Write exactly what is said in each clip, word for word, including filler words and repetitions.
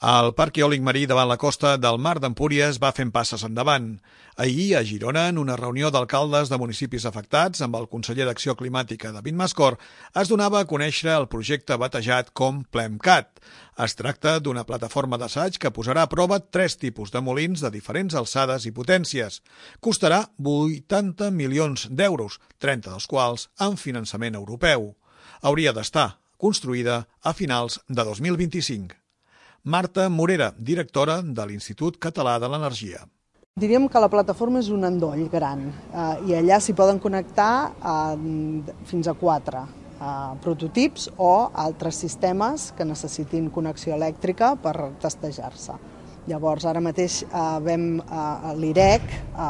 El Parc Eòlic Marí davant la costa del Mar d'Empúries va fent passes endavant. Ahir, a Girona, en una reunió d'alcaldes de municipis afectats amb el conseller d'Acció Climàtica, David Mascor, es donava a conèixer el projecte batejat com PLEMCAT. Es tracta d'una plataforma d'assaig que posarà a prova tres tipus de molins de diferents alçades i potències. Costarà vuitanta milions d'euros, trenta dels quals amb finançament europeu. Hauria d'estar construïda a finals de dos mil vint-i-cinc. Marta Morera, directora de l'Institut Català de l'Energia. Diríem que la plataforma és un endoll gran eh, i allà s'hi poden connectar eh, fins a quatre eh, prototips o altres sistemes que necessitin connexió elèctrica per testejar-se. Llavors, ara mateix eh, vam, eh, l'I R E C eh,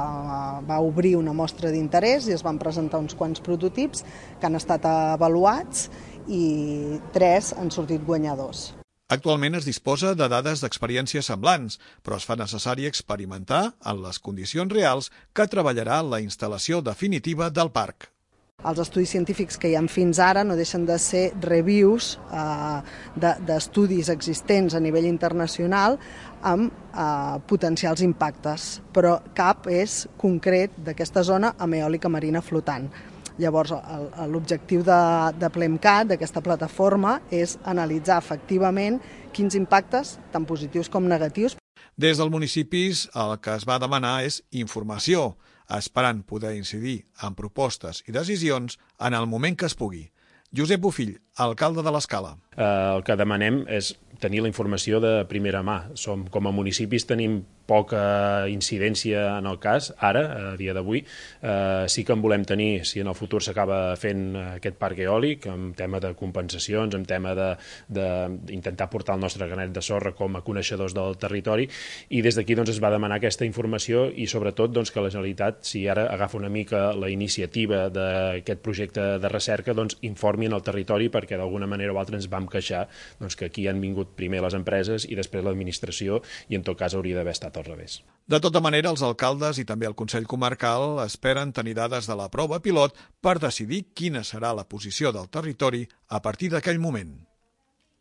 va obrir una mostra d'interès i es van presentar uns quants prototips que han estat avaluats i tres han sortit guanyadors. Actualment es disposa de dades d'experiències semblants, però es fa necessari experimentar en les condicions reals que treballarà la instal·lació definitiva del parc. Els estudis científics que hi ha fins ara no deixen de ser reviews eh, d'estudis existents a nivell internacional amb eh, potencials impactes, però cap és concret d'aquesta zona amb eòlica marina flotant. Llavors, l'objectiu de, de PLEMCAT, d'aquesta plataforma, és analitzar efectivament quins impactes, tant positius com negatius. Des dels municipis el que es va demanar és informació, esperant poder incidir en propostes i decisions en el moment que es pugui. Josep Bofill, alcalde de l'Escala. Eh, el que demanem és tenir la informació de primera mà. Som, com a municipis tenim poca incidència en el cas, ara, a dia d'avui. Eh, sí que en volem tenir, si en el futur s'acaba fent aquest parc eòlic, en tema de compensacions, en tema d'intentar portar el nostre granet de sorra com a coneixedors del territori, i des d'aquí doncs, es va demanar aquesta informació i sobretot doncs, que la Generalitat, si ara agafa una mica la iniciativa d'aquest projecte de recerca, doncs, informi en el territori, perquè d'alguna manera o altra ens vam queixar doncs, que aquí han vingut primer les empreses i després l'administració, i en tot cas hauria d'haver estat al revés. De tota manera, els alcaldes i també el Consell Comarcal esperen tenir dades de la prova pilot per decidir quina serà la posició del territori a partir d'aquell moment.